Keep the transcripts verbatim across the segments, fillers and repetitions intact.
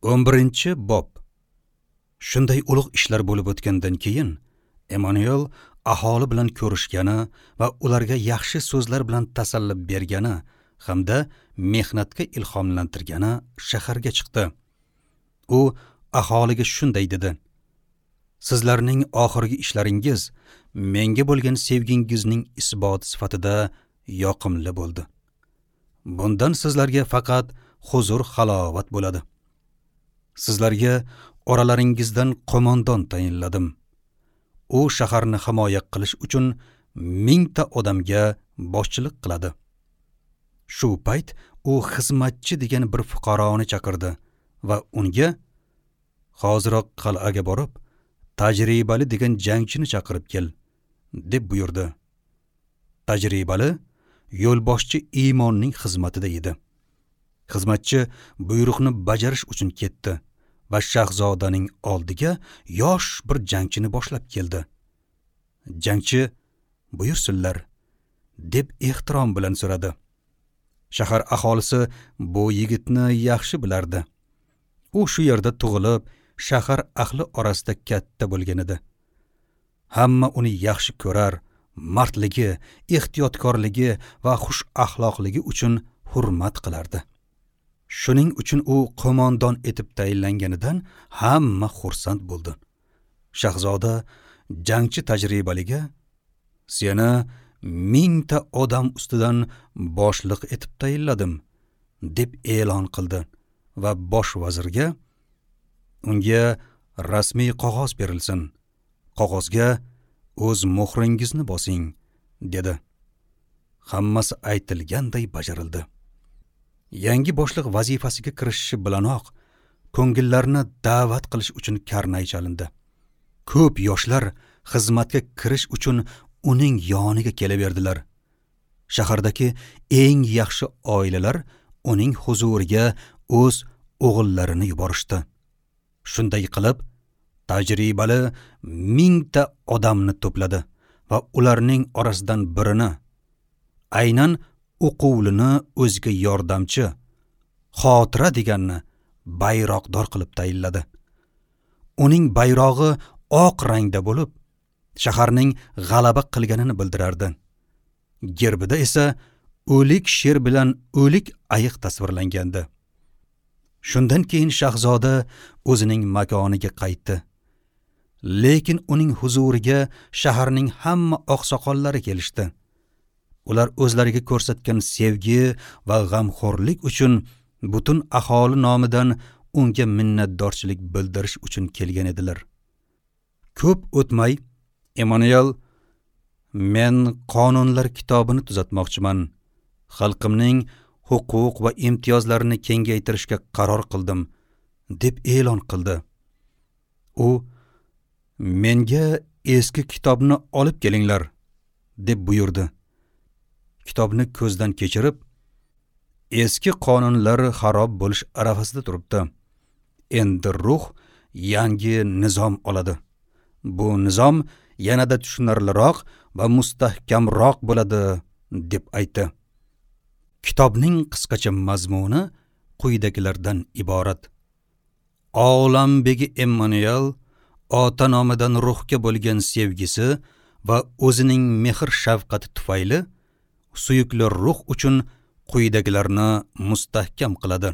o'n birinchi bob. Shunday ulug' ishlar bo'lib o'tgandan keyin Emmanuel aholi bilan ko'rishgani va ularga yaxshi so'zlar bilan tasalli bergani hamda mehnatga ilhomlantirgani shaharga chiqdi. U aholiga shunday dedi: Sizlarning oxirgi ishlaringiz menga bo'lgan sevgingizning isboti sifatida yoqimli bo'ldi. Bundan sizlarga faqat huzur halovat bo'ladi. Sizlarga oralaringizdan qo'mondon tayinladim. U shaharni himoya qilish uchun mingta odamga boshchilik qiladi. Shu payt u xizmatchi degan bir fuqaroni chaqirdi va unga: "Hoziroq qal'aga borib, tajribali degan jangchini chaqirib kel", deb buyurdi. Tajribali yo'lboshchi Iymonning xizmatida edi. Xizmatchi buyruqni bajarish uchun ketdi va shahzodaning oldiga yosh bir jangchini boshlab keldi. Jangchi: "Buyursinlar", deb ehtirom bilan so'radi. Shahar aholisi bu yigitni yaxshi bilardi. U shu yerda tug'ilib, shahar ahli orasida katta bo'lgan edi. Hamma uni yaxshi ko'rar, mardligi, ehtiyotkorligi va xush axloqligi uchun hurmat qilardi. Shuning uchun u qo'mondon etib tayinlanganidan hamma xursand bo'ldi. Shahzoda jangchi tajribaliga: "Seni mingta odam ustidan boshliq etib tayinladim", deb e'lon qildi va bosh vazirga: "Unga rasmiy qog'oz berilsin. Qog'ozga o'z muhringizni bosing", dedi. Hammasi aytilganday bajarildi. Yangi boshliq vazifasiga kirishishi bilanoq ko'ngillarni da'vat qilish uchun karnay chalindi. Ko'p yoshlar xizmatga kirish uchun uning yoniga kelaverdilar. Shahardagi eng yaxshi oilalar uning huzuriga o'z o'g'illarini yuborishdi. Shunday qilib, tajribali mingta odamni to'pladi va ularning orasidan birini, aynan o'quvlini o'ziga yordamchi, xotira deganni bayroqdor qilib tayinladi. Uning bayrog'i oq rangda bo'lib, shaharning g'alaba qilganini bildirardi. Gerbida esa o'lik sher bilan o'lik ayiq tasvirlangandi. Shundan keyin shahzoda o'zining makoniga qaytdi. Lekin uning huzuriga shaharning hamma oqsoqollari kelishdi. Ular o'zlariga ko'rsatgan sevgi va g'amxo'rlik uchun butun aholi nomidan unga minnatdorchilik bildirish uchun kelgan edilar. Ko'p o'tmay Emmanuel: "Men qonunlar kitobini tuzatmoqchiman. Xalqimning huquq va imtiyozlarini kengaytirishga qaror qildim", deb e'lon qildi. U: "Menga eski kitobni olib kelinglar", deb buyurdi. Kitobni ko'zdan kechirib, eski qonunlar xarob bo'lish arafasida turibdi. Endi ruh yangi nizom oladi. Bu nizom yanada tushunarliroq va mustahkamroq bo'ladi, deb aytdi. Kitobning qisqacha mazmuni quyidagilardan iborat. Olam begi Emmanuel ota nomidan ruhga bo'lgan sevgisi va o'zining mehr shafqati tufayli suyukli ruh uchun quyidagilarni mustahkam qiladi.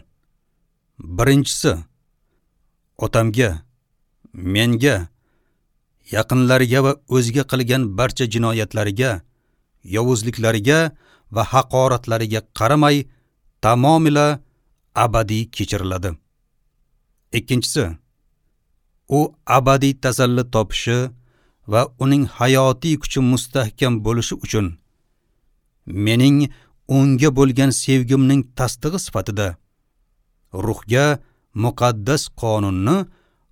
Birinchisi, otamga, menga, yaqinlariga va o'ziga qilgan barcha jinoyatlariga, yovuzliklariga va haqoratlariga qaramay tamomila abadiy kechiriladi. Ikkinchisi, u abadiy tasalli topishi va uning hayotiy kuchi mustahkam bo'lishi uchun mening unga bo'lgan sevgimning tasdig'i sifatida ruhga muqaddas qonunni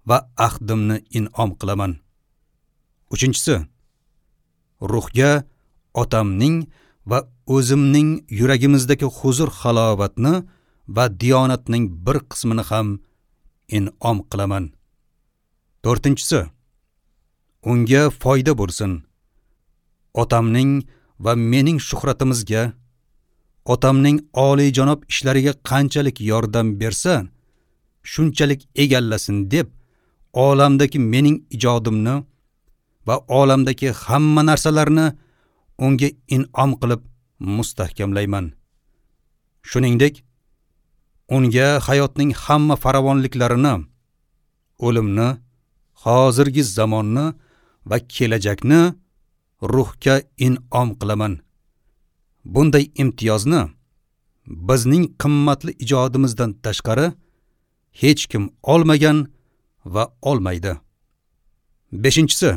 va ahdimni in'om qilaman. Uchinchisi, ruhga otamning va o'zimning yuragimizdagi huzur halovatni va diyonatning bir qismini ham in'om qilaman. To'rtinchisi, unga foyda bo'lsin. Otamning va mening shuhratimizga, otamning oliyjanob ishlariga qanchalik yordam bersa, shunchalik egallasin deb olamdagi mening ijodimni va olamdagi hamma narsalarni unga in'om qilib mustahkamlayman. Shuningdek, unga hayotning hamma farovonliklarini, o'limni, hozirgi zamonni va kelajakni ruhga in'om qilaman. Bunday imtiyozni bizning qimmatli ijodimizdan tashqari hech kim olmagan va olmaydi. Beshinchisi,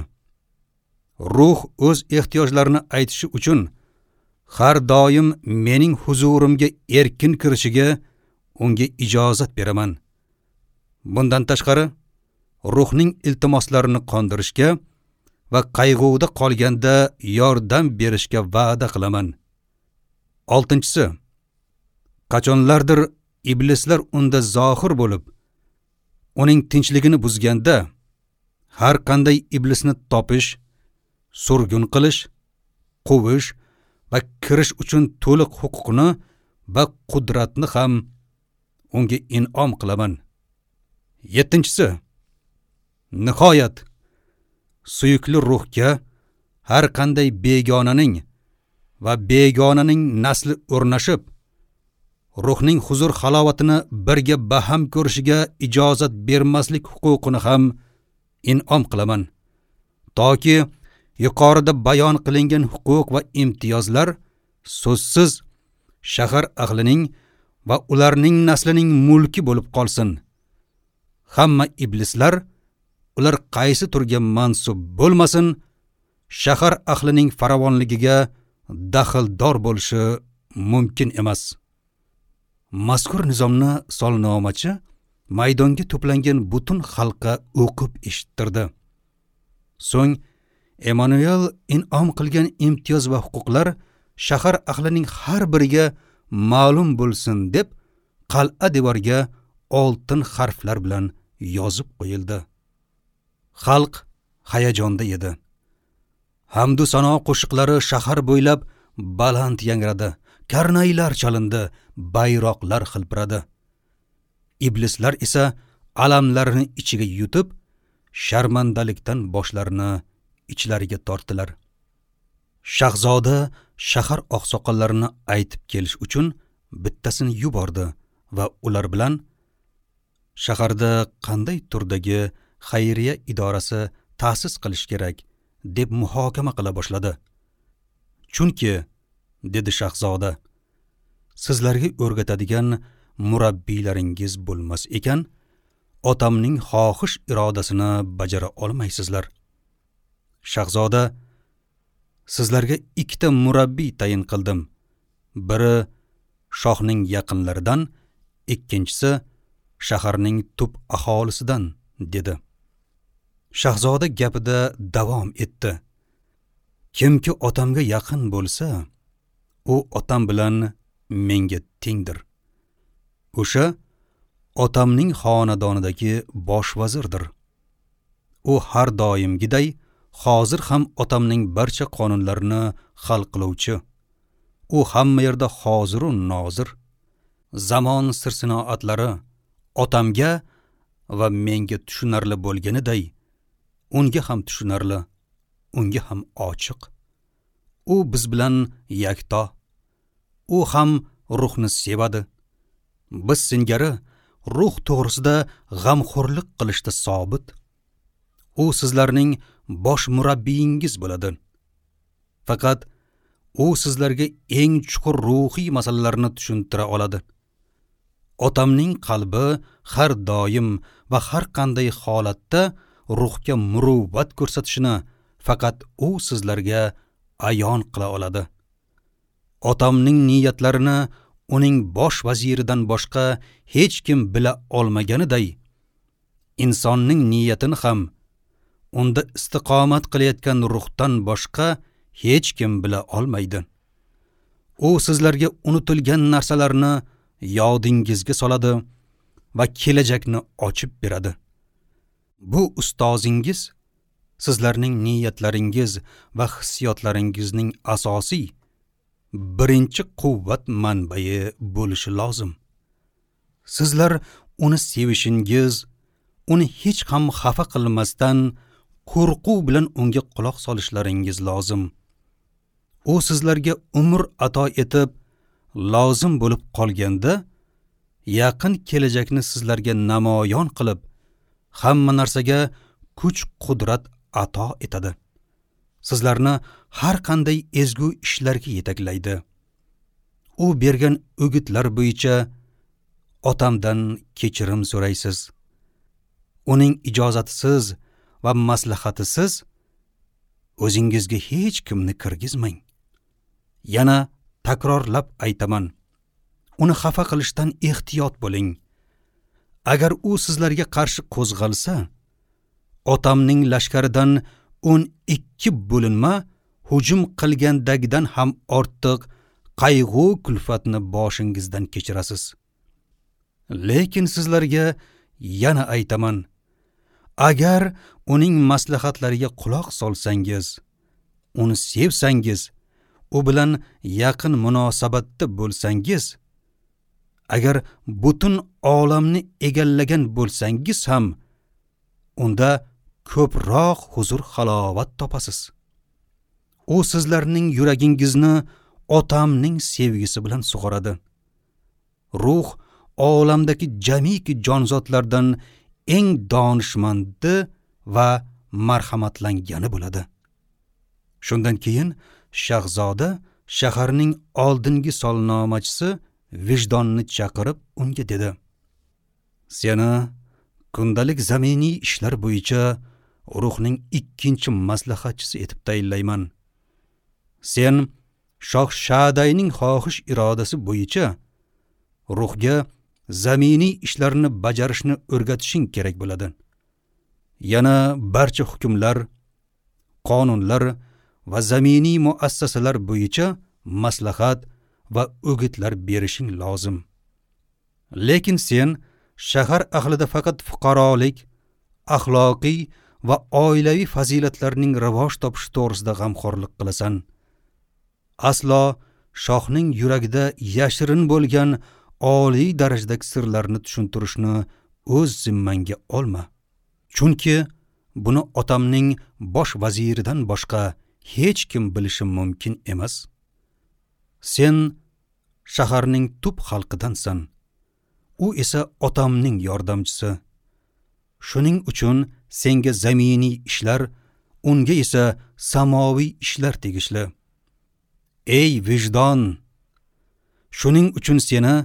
ruh o'z ehtiyojlarini aytishi uchun har doim mening huzurimga erkin kirishiga unga ijozat beraman. Bundan tashqari, ruhning iltimoslarini qondirishga va qayg'uda qolganda yordam berishga va'da qilaman. Oltinchisi, qachonlardir iblislar unda zohir bo'lib, uning tinchligini buzganda, har qanday iblisni topish, surgun qilish, quvish va kirish uchun to'liq huquqni va qudratni ham unga in'om qilaman. Yettinchisi, nihoyat suyukli ruhga har qanday begonaning va begonaning nasli o'rnashib, ruhning huzur halovatini birga baham ko'rishiga ijozat bermaslik huquqini ham in'om qilaman. Toki yuqorida bayon qilingan huquq va imtiyozlar so'zsiz shahar ahlining va ularning naslining mulki bo'lib qolsin. Hamma iblislar, ular qaysi turga mansub bo'lmasin, shahar ahlining farovonligiga daxldor bo'lishi mumkin emas. Mazkur nizomni solnomachi maydonga to'plangan butun xalqqa o'qib eshittirdi. So'ng Emmanuel in'om qilgan imtiyoz va huquqlar shahar ahlining har biriga ma'lum bo'lsin deb qal'a devorga oltin harflar bilan yozib qo'yildi. Xalq hayajonda edi. Hamdu sano qo'shiqlari shahar bo'ylab baland yangradi, karnaylar chalindi, bayroqlar xilpiradi. Iblislar esa alamlarini ichiga yutib, sharmandalikdan boshlarini ichlariga tortdilar. Shahzoda shahar oqsoqollarini aytib kelish uchun bittasini yubordi va ular bilan shaharda qanday turdagi xayriya idorasi ta'sis qilish kerak deb muhokama qila boshladi. Chunki, dedi shahzoda, sizlarga o'rgatadigan murabbiylaringiz bo'lmas ekan, otamning xohish irodasini bajara olmaysizlar. Shahzoda, sizlarga ikkita murabbiy tayin qildim. Biri shohning yaqinlaridan, ikkinchisi shaharning tub aholisidan, dedi. Shahzoda gapida davom etdi. Kimki otamga yaqin bo'lsa, u otam bilan menga tengdir. O'sha otamning xonadonidagi bosh vazirdir. U har doimgiday hozir ham otamning barcha qonunlarini hal qiluvchi. U hamma yerda hoziru nozir. Zamon sir-sinoatlari otamga va menga tushunarli bo'lganiday, unga ham tushunarli, unga ham ochiq. U biz bilan yakto. U ham ruhni sevadi. Biz singari ruh to'g'risida g'amxo'rlik qilishda sobit. U sizlarning bosh murabbiyingiz bo'ladi. Faqat u sizlarga eng chuqur ruhiy masalalarni tushuntira oladi. Otamning qalbi har doim va har qanday holatda ruhga muruvvat ko'rsatishini faqat u sizlarga ayon qila oladi. Otamning niyatlarini uning bosh vaziridan boshqa hech kim bila olmaganiday, insonning niyatini ham unda istiqomat qilayotgan ruhdan boshqa hech kim bila olmaydi. U sizlarga unutilgan narsalarni yodingizga soladi va kelajakni ochib beradi. Bu ustozingiz sizlarning niyatlaringiz va hissiyotlaringizning asosiy birinchi quvvat manbai bo'lishi lozim. Sizlar uni sevishingiz, uni hech ham xafa qilmasdan qo'rquv bilan unga quloq solishlaringiz lozim. U sizlarga umr ato etib, lozim bo'lib qolganda, yaqin kelajakni sizlarga namoyon qilib, hamma narsaga kuch-qudrat ato etadi. Sizlarni har qanday ezgu ishlarga yetaklaydi. U bergan o'gitlar bo'yicha otamdan kechirim so'raysiz. Uning ijozatisiz va maslahatisiz o'zingizga hech kimni kirgizmang. Yana takrorlab aytaman, uni xafa qilishdan ehtiyot bo'ling. Agar u sizlarga qarshi qo'zg'alsa, otamning lashkaridan o'n ikki bo'linma hujum qilgandagidan ham ortiq qayg'u kulfatni boshingizdan kechirasiz. Lekin sizlarga yana aytaman, agar uning maslahatlariga quloq solsangiz, uni sevsangiz, u bilan yaqin munosabatda bo'lsangiz, agar butun olamni egallagan bo'lsangiz ham, unda ko'proq huzur halovat topasiz. U sizlarning yuragingizni otamning sevgisi bilan sug'oradi. Ruh olamdagi jamiki jonzotlardan eng donishmandi va marhamatlangani bo'ladi. Shundan keyin shahzoda shaharning oldingi solnomachisi Vijdonni chaqirib unga dedi: Seni kundalik zaminiy ishlar bo'yicha ruhning ikkinchi maslahatchisi etib tayinlayman. Sen shoh Shadayning xohish irodasi bo'yicha ruhga zaminiy ishlarni bajarishni o'rgatishing kerak bo'ladi. Yana barcha hukmlar, qonunlar va zaminiy muassasalar bo'yicha maslahat va o'gitlar berishing lozim. Lekin sen shahar ahlida faqat fuqarolik, axloqiy va oilaviy fazilatlarning rivoj topishi to'g'risida g'amxo'rlik qilasan. Aslo shohning yuragida yashirin bo'lgan oliy darajadagi sirlarni tushuntirishni o'z zimmangga olma. Chunki buni otamning bosh vaziridan boshqa hech kim bilishi mumkin emas. Sen shaharning tub xalqidansan. U esa otamning yordamchisi. Shuning uchun senga zaminiy ishlar, unga esa samoviy ishlar tegishli. Ey vijdon! Shuning uchun seni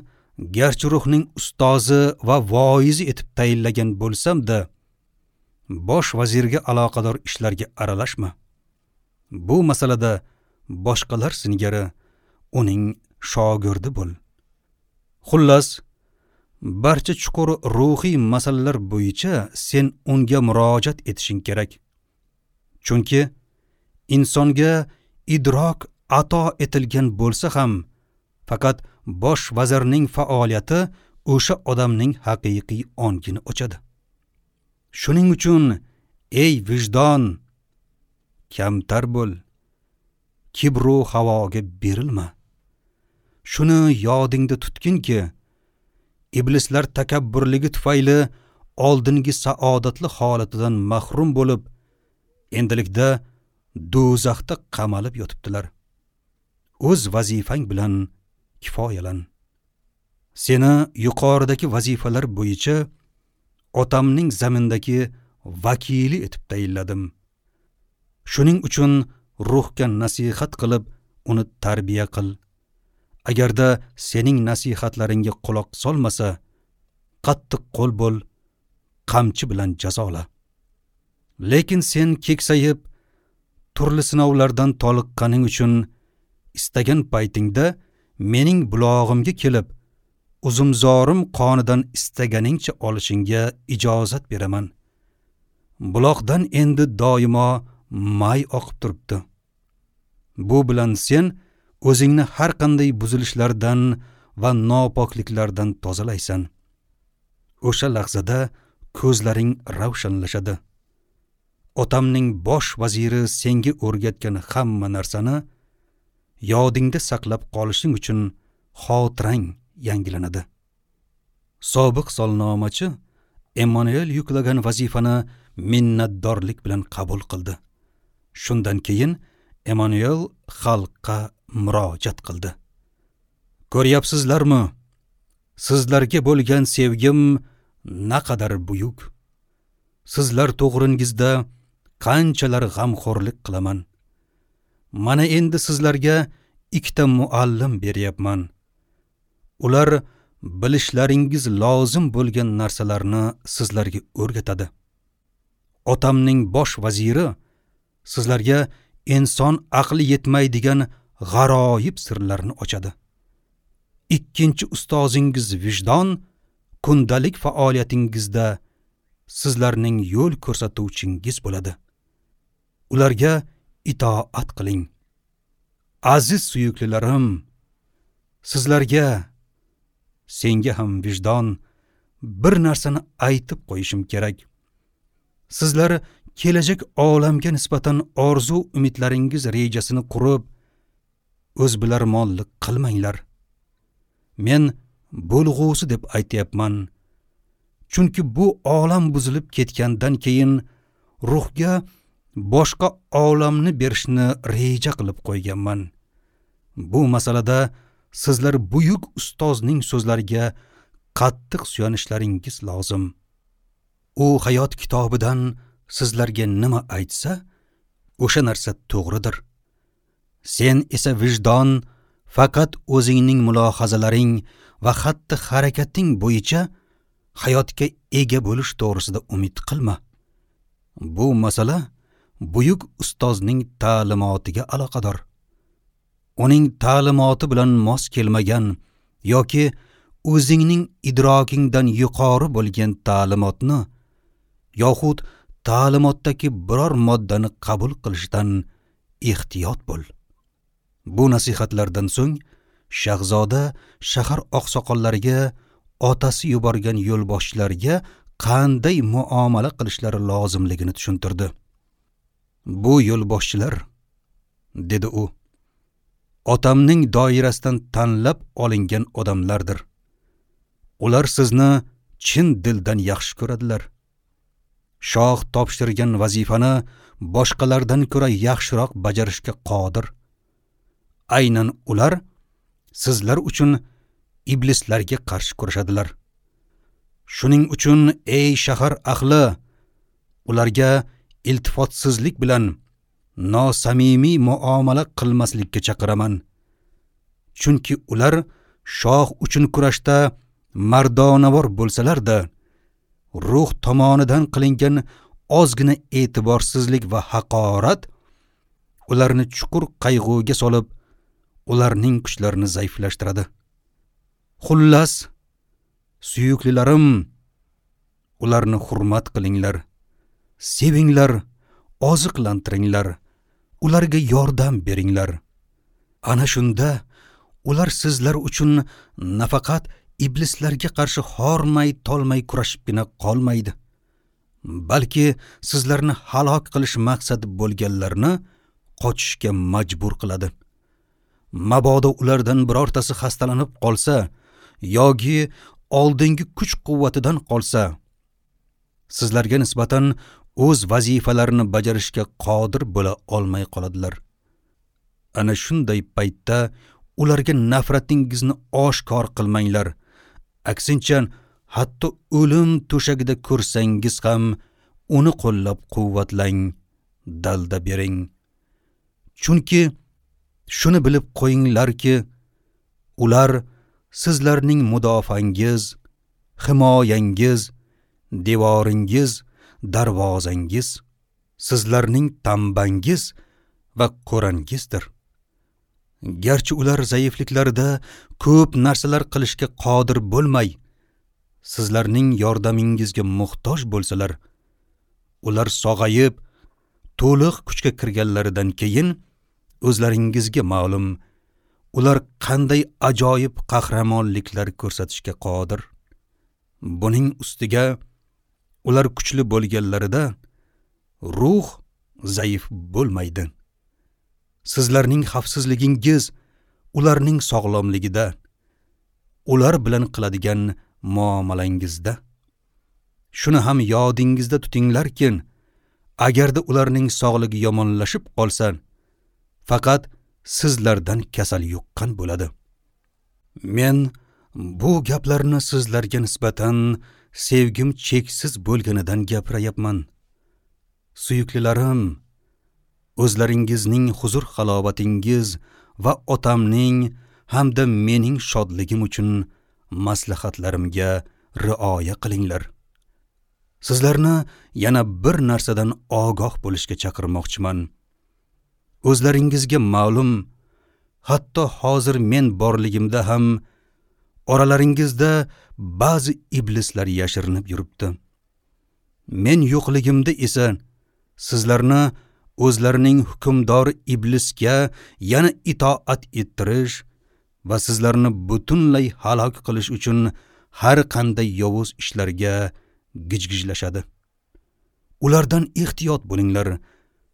garchi ruhning ustozi va voizi etib tayinlagan bo'lsam-da, bosh vazirga aloqador ishlarga aralashma. Bu masalada boshqalar singari uning shogirdi bo'l. Xullas, barcha chuqur ruhiy masalalar bo'yicha sen unga murojaat etishing kerak. Chunki insonga idrok ato etilgan bo'lsa ham, faqat bosh vazirning faoliyati o'sha odamning haqiqiy ongini ochadi. Shuning uchun ey vijdon, kamtar bo'l, kibru havoga berilma. Shuni yodingda tutginki, iblislar takabburligi tufayli oldingi saodatli holatidan mahrum bo'lib, endilikda do'zaxda qamalib yotibdilar. O'z vazifang bilan kifoyalan. Seni yuqoridagi vazifalar bo'yicha otamning zamindagi vakili etib tayinladim. Shuning uchun ruhga nasihat qilib, uni tarbiya qil. Agarda sening nasihatlaringga quloq solmasa, qattiq qo'l bo'l, qamchi bilan jazola. Lekin sen keksayib, turli sinovlardan toliqqaning uchun istagan paytingda mening bulog'imga kelib, uzumzorim qonidan istaganingcha olishingga ijozat beraman. Buloqdan endi doimo may oqib turibdi. Bu bilan sen o'zingni har qanday buzilishlardan va nopokliklardan tozalaysan. O'sha lahzada ko'zlaring ravshanlashadi. Otamning bosh vaziri senga o'rgatgan hamma narsani yodingda saqlab qolishing uchun xotirang yangilanadi. Sobiq solnomachi Emmanuel yuklagan vazifani minnatdorlik bilan qabul qildi. Shundan keyin Emmanuel xalqqa murojaat qildi. Ko'ryapsizlarmi? Sizlarga bo'lgan sevgim naqadar buyuk. Sizlar to'g'ringizda qanchalar g'amxo'rlik qilaman. Mana endi sizlarga ikkita muallim beryapman. Ular bilishlaringiz lozim bo'lgan narsalarni sizlarga o'rgatadi. Otamning bosh vaziri sizlarga inson aqli yetmaydigan g'aroyib sirlarni ochadi. Ikkinchi ustozingiz vijdon kundalik faoliyatingizda sizlarning yo'l ko'rsatuvchingiz bo'ladi. Ularga itoat qiling. Aziz suyuklilarim, sizlarga, senga ham vijdon, bir narsani aytib qo'yishim kerak. Sizlar kelajak olamga nisbatan orzu umidlaringiz rejasini qurib, o'zbilarmonlik qilmanglar. Men bo'lg'usi deb aytyapman. Chunki bu olam buzilib ketgandan keyin ruhga boshqa olamni berishni reja qilib qo'yganman. Bu masalada sizlar buyuk ustozning so'zlariga qattiq suyanishlaringiz lozim. U hayot kitobidan sizlarga nima aytsa, o'sha narsa to'g'ridir. Sen esa vijdon faqat o'zingning mulohazalaring va xatti harakating bo'yicha hayotga ega bo'lish to'g'risida umid qilma. Bu masala buyuk ustozning ta'limotiga aloqador. Uning ta'limoti bilan mos kelmagan yoki o'zingning idrokingdan yuqori bo'lgan ta'limotni yoxud ta'limotdagi biror moddani qabul qilishdan ehtiyot bo'l. Bu nasihatlardan so'ng shahzoda shahar oqsoqollariga, otasi yuborgan yo'lboshchilarga qanday muomala qilishlari lozimligini tushuntirdi. Bu yo'lboshchilar, dedi u, otamning doirasidan tanlab olingan odamlardir. Ular sizni chin dildan yaxshi ko'radilar. Shoh topshirgan vazifani boshqalardan ko'ra yaxshiroq bajarishga qodir. Aynan ular sizlar uchun iblislarga qarshi kurashadilar. Shuning uchun ey shahar ahli, ularga iltifotsizlik bilan nosamimiy muomala qilmaslikka chaqiraman. Chunki ular shoh uchun kurashda mardonavor bo'lsalar-da, ruh tomonidan qilingan ozgina e'tiborsizlik va haqorat ularni chuqur qayg'uga solib, ularning kuchlarini zaiflashtiradi. Xullas, suyuklilarim, ularni hurmat qilinglar, sevinglar, oziqlantiringlar, ularga yordam beringlar. Ana shunda ular sizlar uchun nafaqat iblislarga qarshi hormay tolmay kurashibgina qolmaydi, balki sizlarni halok qilish maqsadi bo'lganlarni qochishga majbur qiladi. Mabodo ulardan birortasi xastalanib qolsa yoki oldingi kuch-quvvatidan qolsa, sizlarga nisbatan o'z vazifalarini bajarishga qodir bo'la olmay qoladilar. Ana shunday paytda ularga nafratingizni oshkor qilmanglar. Aksincha, hatto o'lim to'shagida ko'rsangiz ham uni qo'llab-quvvatlang, dalda bering. Chunki shuni bilib qo'yinglarki, ular sizlarning mudofangiz, himoyangiz, devoringiz, darvozangiz, sizlarning tambangiz va qo'rangizdir. Garchi ular zaifliklarida ko'p narsalar qilishga qodir bo'lmay, sizlarning yordamingizga muhtoj bo'lsalar, ular sog'ayib, to'liq kuchga kirganlaridan keyin o'zlaringizga ma'lum, ular qanday ajoyib qahramonliklar ko'rsatishga qodir. Buning ustiga ular kuchli bo'lganlarida ruh zaif bo'lmaydi. Sizlarning xavfsizligingiz ularning sog'lomligida, ular bilan qiladigan muomalangizda. Shuni ham yodingizda tutinglarki, agarda ularning sog'ligi yomonlashib qolsa, faqat sizlardan kasal yuqqan bo'ladi. Men bu gaplarni sizlarga nisbatan sevgim cheksiz bo'lganidan gapirayapman. Suyuklilarim, o'zlaringizning huzur halovatingiz va otamning hamda mening shodligim uchun maslahatlarimga rioya qilinglar. Sizlarni yana bir narsadan ogoh bo'lishga chaqirmoqchiman. O'zlaringizga ma'lum, hatto hozir men borligimda ham oralaringizda ba'zi iblislar yashirinib yuribdi. Men yo'qligimda esa sizlarni o'zlarining hukmdori iblisga yana itoat ettirish va sizlarni butunlay halok qilish uchun har qanday yovuz ishlarga gijgijlashadi. Ulardan ehtiyot bo'linglar,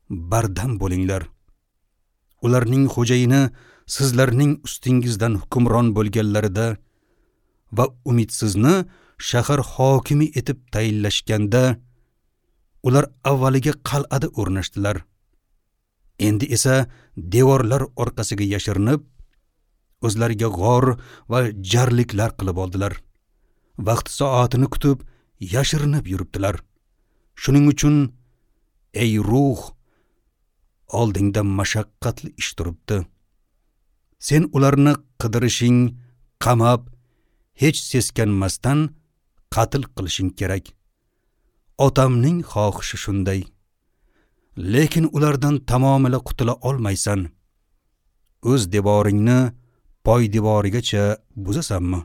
bardam bo'linglar. Ularning xo'jayini sizlarning ustingizdan hukmron bo'lganlarida va umidsizni shahar hokimi etib tayinlashganda ular avvaliga qal'ada o'rnashdilar. Endi esa devorlar orqasiga yashirinib, o'zlariga g'or va jarliklar qilib oldilar. Vaqt soatini kutib yashirinib yuribdilar. Shuning uchun ey ruh, oldingda mashaqqatli ish turibdi. Sen ularni qidirishing, qamab, hech seskanmasdan qatl qilishing kerak. Otamning xohishi shunday. Lekin ulardan tamomila qutula olmaysan. O'z devoringni poy devorigacha buzasanmi?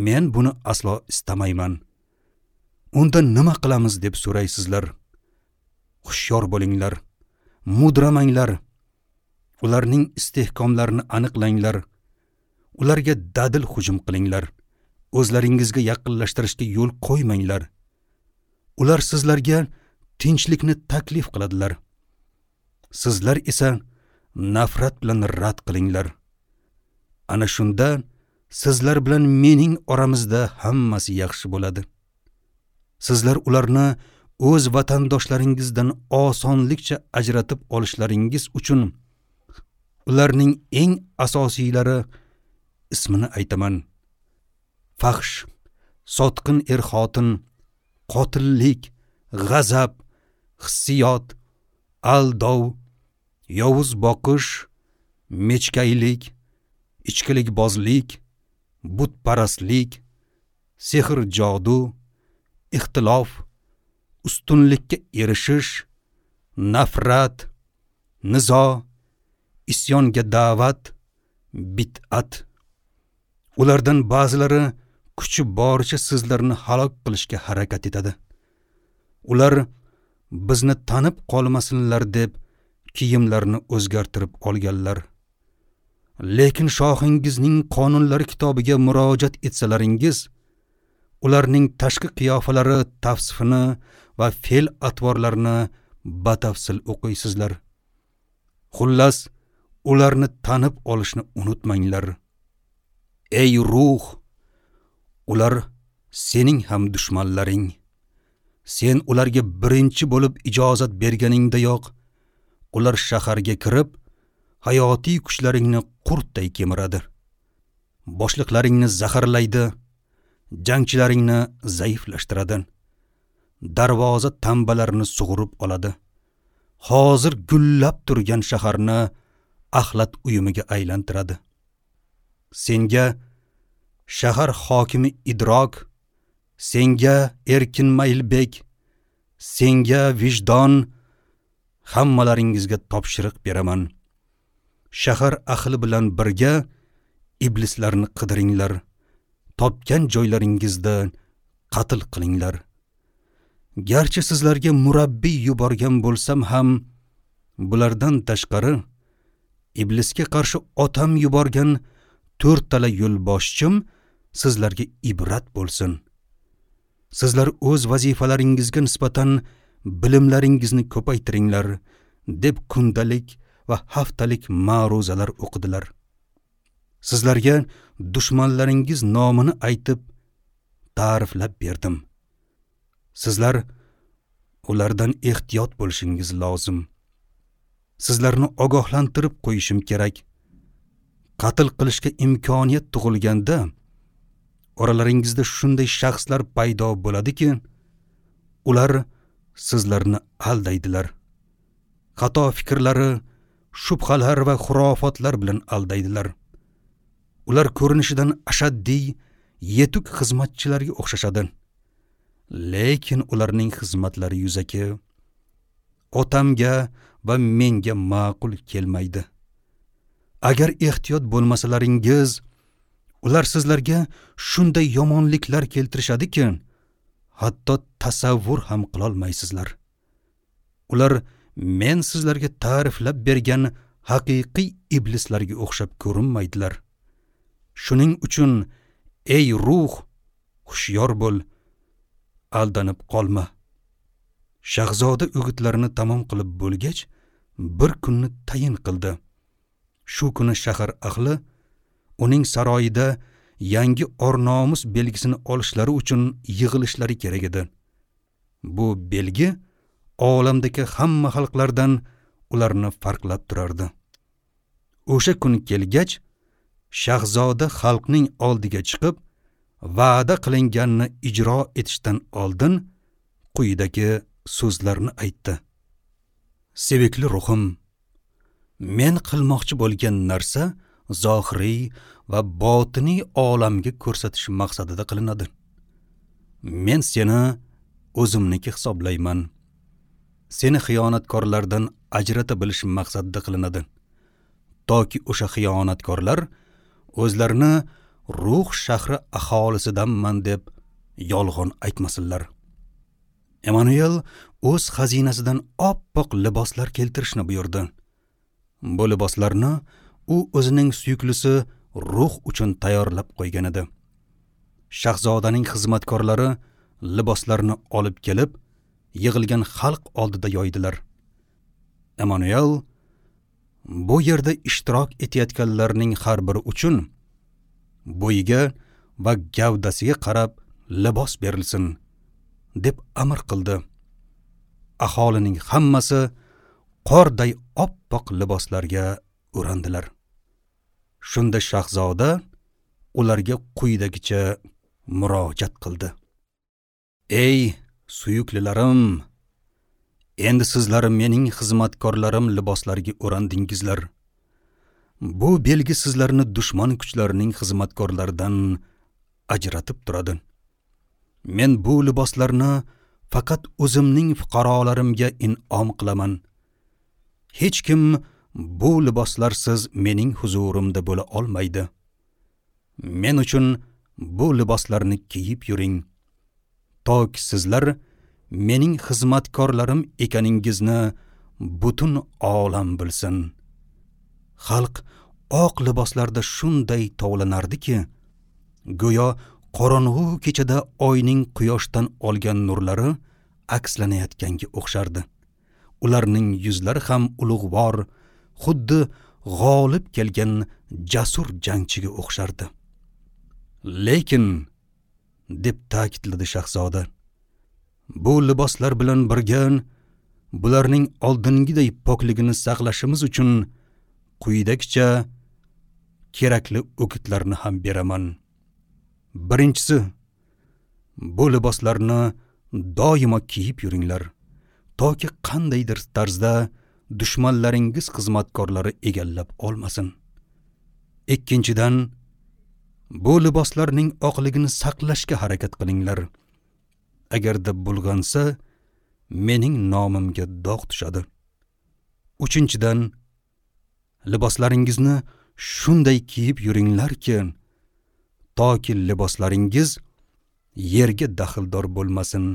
Men buni aslo istamayman. Unda nima qilamiz deb so'raysizlar. Hushyor bo'linglar, mudramanglar. Ularning istehkomlarini aniqlanglar. Ularga dadil hujum qilinglar. O'zlaringizga yaqinlashtirishga yo'l qo'ymanglar. Ular sizlarga tinchlikni taklif qiladilar. Sizlar esa nafrat bilan rad qilinglar. Ana shunda sizlar bilan mening oramizda hammasi yaxshi bo'ladi. Sizlar ularni o'z vatandoshlaringizdan osonlikcha ajratib olishlaringiz uchun ularning eng asosiylari ismini aytaman. Fahsh, sotqin er-xotin, qotillik, g'azab, hissiyot, aldov, yovuz boqish, mechkaylik, ichkilikbozlik, butparastlik, sehr jodu, ixtilof, ustunlikka erishish, nafrat, nizo, isyonga da'vat, bid'at. Ulardan ba'zilari kuchi boricha sizlarni halok qilishga harakat etadi. Ular bizni tanib qolmasinlar deb kiyimlarini o'zgartirib olganlar. Lekin shohingizning qonunlari kitobiga murojaat etsalaringiz, ularning tashqi qiyofalari tavsifini va fe'l atvorlarini batafsil o'qiysizlar. Xullas, ularni tanib olishni unutmanglar. Ey ruh, ular sening ham dushmanlaring. Sen ularga birinchi bo'lib ijozat berganingdayoq, ular shaharga kirib, hayotiy kuchlaringni qurtday kemiradi. Boshliqlaringni zaharlaydi, jangchilaringni zaiflashtiradi. Darvoza tambalarini sug'urib oladi. Hozir gullab turgan shaharni axlat uyumiga aylantiradi. Senga shahar hokimi Idrok, senga Erkin Maylbek, senga vijdon, hammalaringizga topshiriq beraman. Shahar ahli bilan birga iblislarni qidiringlar. Topgan joylaringizda qatl qilinglar. Garchi sizlarga murabbiy yuborgan bo'lsam ham, bulardan tashqari iblisga qarshi otam yuborgan to'rttala yo'lboshchim sizlarga ibrat bo'lsin. Sizlar o'z vazifalaringizga nisbatan bilimlaringizni ko'paytiringlar, deb kundalik va haftalik ma'ruzalar o'qidilar. Sizlarga dushmanlaringiz nomini aytib, ta'riflab berdim. Sizlar ulardan ehtiyot bo'lishingiz lozim. Sizlarni ogohlantirib qo'yishim kerak. Qatl qilishga imkoniyat tug'ilganda oralaringizda shunday shaxslar paydo bo'ladiki, ular sizlarni aldaydilar. Xato fikrlari, shubhalar va xurofotlar bilan aldaydilar. Ular ko'rinishidan ashaddiy, yetuk xizmatchilarga o'xshashadi. Lekin ularning xizmatlari yuzaki, otamga va menga ma'qul kelmaydi. Agar ehtiyot bo'lmasalaringiz, ular sizlarga shunday yomonliklar keltirishadiki, hatto tasavvur ham qilolmaysizlar. Ular men sizlarga ta'riflab bergan haqiqiy iblislarga o'xshab ko'rinmaydilar. Shuning uchun ey ruh, hushyor bo'l, aldanib qolma. Shahzoda o'gitlarini tamom qilib bo'lgach, bir kunni tayin qildi. Shu kuni shahar ahli uning saroyida yangi or-nomus belgisini olishlari uchun yig'ilishlari kerak edi. Bu belgi olamdagi hamma xalqlardan ularni farqlab turardi. O'sha kun kelgach, shahzoda xalqning oldiga chiqib, va'da qilinganini ijro etishdan oldin quyidagi so'zlarni aytdi. Sevikli ruhim, men qilmoqchi bo'lgan narsa zohiriy va botiniy olamga ko'rsatish maqsadida qilinadi. Men seni o'zimniki hisoblayman. Seni xiyonatkorlardan ajrata bilish maqsadida qilinadi. Toki o'sha xiyonatkorlar o'zlarini ruh shahri aholisidanman deb yolg'on aytmasinlar. Emanuel o'z xazinasidan oppoq liboslar keltirishni buyurdi. Bu liboslarni u o'zining suyuklisi ruh uchun tayyorlab qo'ygan edi. Shahzodaning xizmatkorlari liboslarni olib kelib, yig'ilgan xalq oldida yoydilar. Emanuel bu yerda ishtirok etayotganlarning har biri uchun bo'yiga va gavdasiga qarab libos berilsin deb amr qildi. Aholining hammasi qorday oppoq liboslarga o'randilar. Shunda shahzoda ularga quyidagicha murojaat qildi. Ey suyuklilarim, endi sizlar mening xizmatkorlarim liboslariga o'randingizlar. Bu belgi sizlarni dushman kuchlarining xizmatkorlaridan ajratib turadi. Men bu liboslarni faqat o'zimning fuqarolarimga in'om qilaman. Hech kim bu liboslarsiz mening huzurimda bo'la olmaydi. Men uchun bu liboslarni kiyib yuring, toki sizlar mening xizmatkorlarim ekaningizni butun olam bilsin. Xalq oq liboslarda shunday tovlanardiki, go'yo qorong'u kechada oyning quyoshdan olgan nurlari akslanayotganga o'xshardi. Ularning yuzlari ham ulug'vor, xuddi g'olib kelgan jasur jangchiga o'xshardi. Lekin, deb ta'kidladi shahzoda, bu liboslar bilan birga bularning oldingiday pokligini saqlashimiz uchun quyidagicha kerakli o'gitlarni ham beraman. Birinchisi, bu liboslarni doimo kiyib yuringlar, toki qandaydir tarzda dushmanlaringiz xizmatkorlari egallab olmasin. Ikkinchidan, bu liboslarning oqligini saqlashga harakat qilinglar. Agarda bulg'ansa, mening nomimga dog' tushadi. Uchinchidan, liboslaringizni shunday kiyib yuringlarki, toki liboslaringiz yerga daxldor bo'lmasin.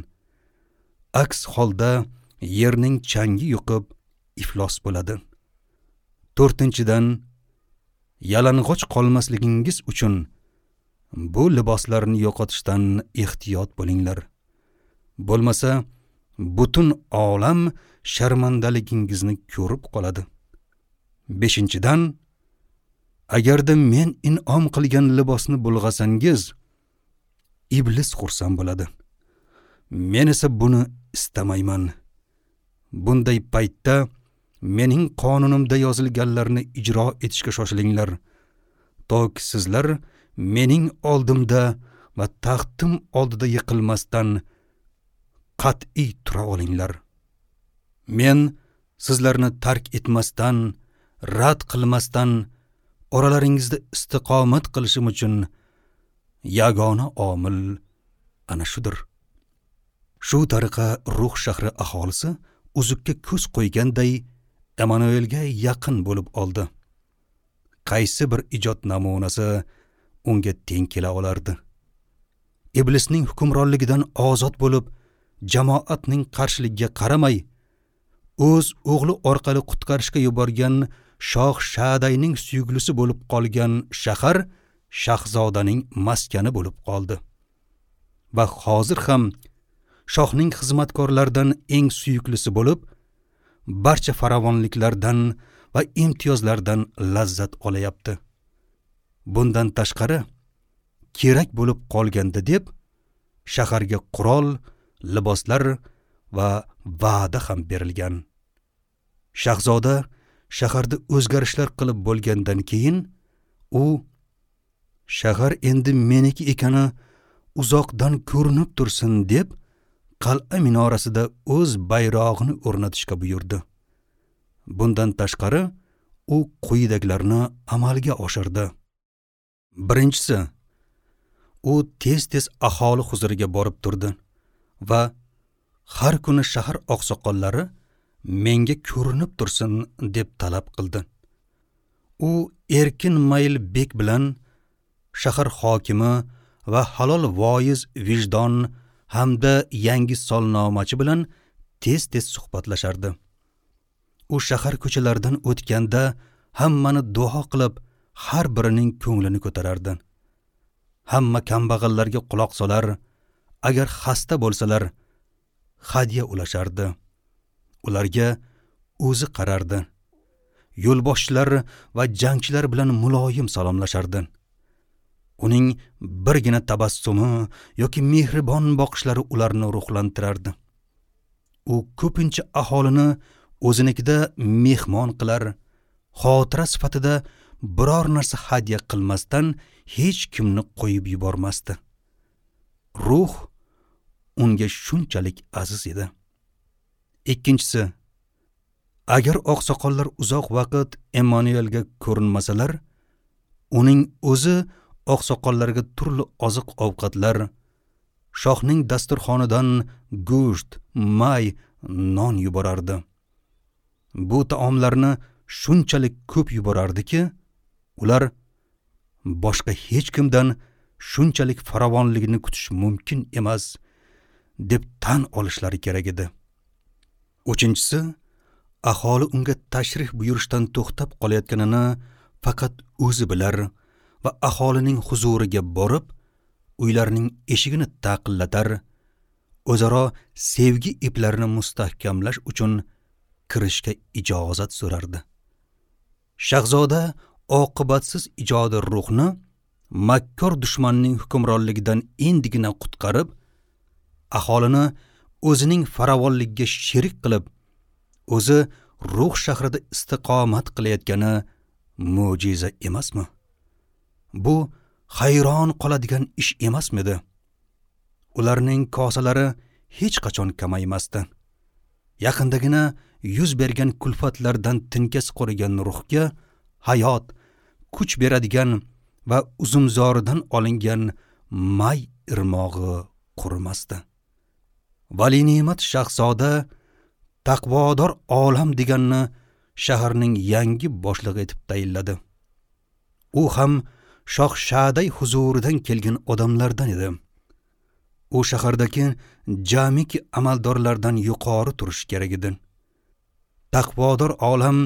Aks holda yerning changi yuqib iflos bo'ladi. To'rtinchidan, yalang'och qolmasligingiz uchun bu liboslarni yo'qotishdan ehtiyot bo'linglar. Bo'lmasa, butun olam sharmandaligingizni ko'rib qoladi. Beshinchidan, agarda men in'om qilgan libosni bulg'asangiz, iblis xursand bo'ladi. Men esa buni istamayman. Bunday paytda mening qonunimda yozilganlarni ijro etishga shoshilinglar, toki sizlar mening oldimda va taxtim oldida yiqilmasdan qat'iy tura olinglar. Men sizlarni tark etmasdan, rad qilmasdan oralaringizda istiqomat qilishim uchun yagona omil ana shudir. Shu tariqa Ruh shahri aholisi uzukka ko'z qo'yganday Emanuelga yaqin bo'lib oldi. Qaysi bir ijod namunasi unga teng kela olardi? Iblisning hukmronligidan ozod bo'lib, jamoatning qarshiligiga qaramay, o'z o'g'li orqali qutqarishga yuborgan Shoh Shadayning suyuklisi bo'lib qolgan shahar shahzodaning maskani bo'lib qoldi. Va hozir ham shohning xizmatkorlaridan eng suyuklisi bo'lib, barcha farovonliklardan va imtiyozlardan lazzat olayapti. Bundan tashqari, kerak bo'lib qolganda deb shaharga qurol, liboslar va va'da ham berilgan. Shahzoda shaharda o'zgarishlar qilib bo'lgandan keyin u shahar endi meniki ekani uzoqdan ko'rinib tursin deb qal'a minorasida o'z bayrog'ini o'rnatishga buyurdi. Bundan tashqari u quyidagilarni amalga oshirdi. Birinchisi, u tez-tez aholi huzuriga borib turdi va har kuni shahar oqsoqollari menga ko'rinib tursin deb talab qildi. U erkin mayl bek bilan shahar hokimi va halol voiz vijdon hamda yangi solnomachi bilan tez-tez suhbatlashardi. U shahar ko'chalaridan o'tganda hammani duo qilib, har birining ko'nglini ko'tarardi. Hamma kambag'allarga quloq solar, agar xasta bo'lsalar hadya ulashardi. Ularga o'zi qarardi. Yo'lboshchilar va jangchilar bilan muloyim salomlashardi. Uning birgina tabassumi yoki mehribon boqishlari ularni ruhlantirardi. U ko'pincha aholini o'zinikida mehmon qilar, xotira sifatida biror narsa hadya qilmasdan hech kimni qo'yib yubormasdi. Ruh unga shunchalik aziz edi. Ikkinchisi, agar oqsoqollar uzoq vaqt Emmanuelga ko'rinmasalar, uning o'zi oqsoqollarga turli oziq-ovqatlar, shohning dasturxonidan go'sht, may, non yuborardi. Bu taomlarni shunchalik ko'p yuborardiki, ular boshqa hech kimdan shunchalik farovonligini kutish mumkin emas deb tan olishlari kerak edi. Uchinchisi, aholi unga tashrif buyurishdan to'xtab qolayotganini faqat o'zi bilar va aholining huzuriga borib, uylarining eshigini taqillatar, o'zaro sevgi iplarini mustahkamlash uchun kirishga ijozat so'rardi. Shahzoda oqibatsiz ijodi ruhni makkor dushmanning hukmronligidan endigina qutqarib, aholini o'zining farovonligiga sherik qilib, o'zi ruh shahrida istiqomat qilayotgani mo'jiza emasmi? Bu hayron qoladigan ish emasmidi? Ularning kosalari hech qachon kamaymasdi. Yaqindagina yuz bergan kulfatlardan tinkasi qurigan ruhga hayot, kuch beradigan va uzumzoridan olingan may irmog'i qurimasdi. Vali ne'mat shahzoda taqvodor olam deganni shaharning yangi boshlig'i etib tayinladi. U ham Shoh Shaday huzuridan kelgan odamlardan edi. U shahardagi jamiki amaldorlardan yuqori turishi kerak edi. Taqvodor olam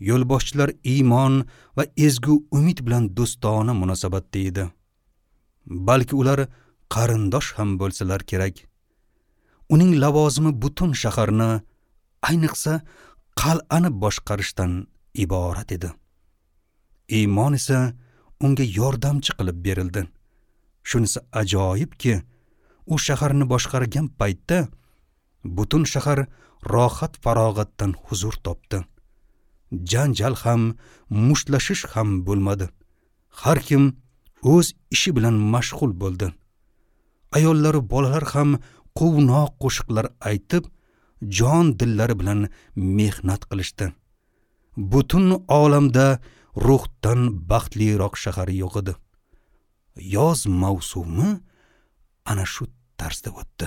yo'lboshchilar iymon va ezgu umid bilan do'stona munosabatda edi. Balki ular qarindosh ham bo'lsalar kerak. Uning lavozimi butun shaharni, ayniqsa qal'ani boshqarishdan iborat edi. Iymon esa unga yordamchi qilib berildi. Shunisi ajoyibki, u shaharni boshqargan paytda butun shahar rohat farog'atdan huzur topdi. Janjal ham, mushtlashish ham bo'lmadi. Har kim o'z ishi bilan mashg'ul bo'ldi. Ayollar, bolalar ham quvnoq qo'shiqlar aytib, jon dillari bilan mehnat qilishdi. Butun olamda ruhdan baxtliroq shahar yo'q edi. Yoz mavsumi ana shu tarzda o'tdi.